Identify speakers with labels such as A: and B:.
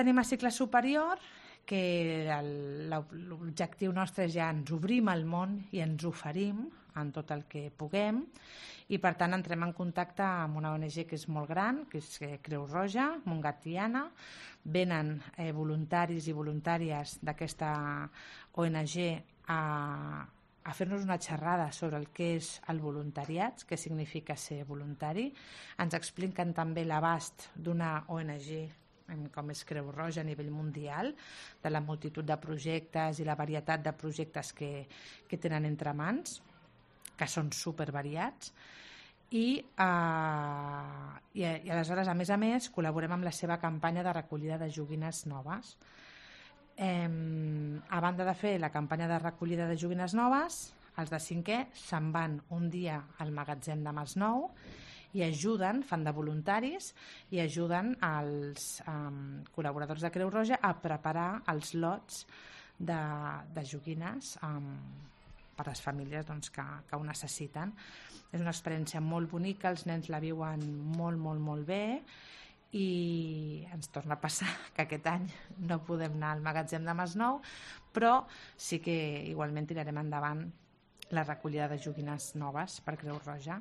A: Tenim a cicle superior, que l'objectiu nostre és ja ens obrim al món i ens oferim en tot el que puguem, i per tant entrem en contacte amb una ONG que és molt gran, que és Creu Roja, Montgat Tiana. Venen voluntaris i voluntàries d'aquesta ONG a fer-nos una xerrada sobre el que és el voluntariat, què significa ser voluntari. Ens expliquen també l'abast d'una ONG com és Creu Roja a nivell mundial, de la multitud de projectes i la varietat de projectes que tenen entre mans, que són supervariats. I aleshores, a més, col·laborem amb la seva campanya de recollida de joguines noves. A banda de fer la campanya de recollida de joguines noves, els de 5è se'n van un dia al magatzem de Masnou i ajuden, fan de voluntaris, i ajuden els col·laboradors de Creu Roja a preparar els lots de joguines per a les famílies que ho necessiten. És una experiència molt bonica, els nens la viuen molt, molt, molt bé, i ens torna a passar que aquest any no podem anar al magatzem de Masnou, però sí que igualment tirarem endavant la recollida de joguines noves per Creu Roja.